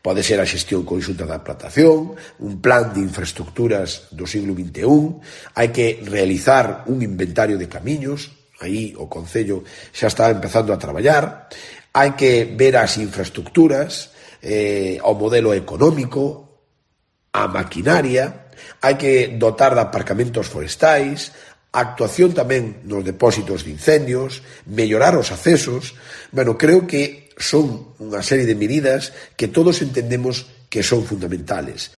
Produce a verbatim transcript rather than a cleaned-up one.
Pode ser a xestión conxunta da plantación, un plan de infraestructuras do siglo vinte e un, hai que realizar un inventario de camiños, aí o Concello xa está empezando a traballar, hai que ver as infraestructuras, eh, o modelo económico, a maquinaria, hai que dotar de aparcamentos forestais, a actuación tamén nos depósitos de incendios, mellorar os accesos. Bueno, creo que son unha serie de medidas que todos entendemos que son fundamentales.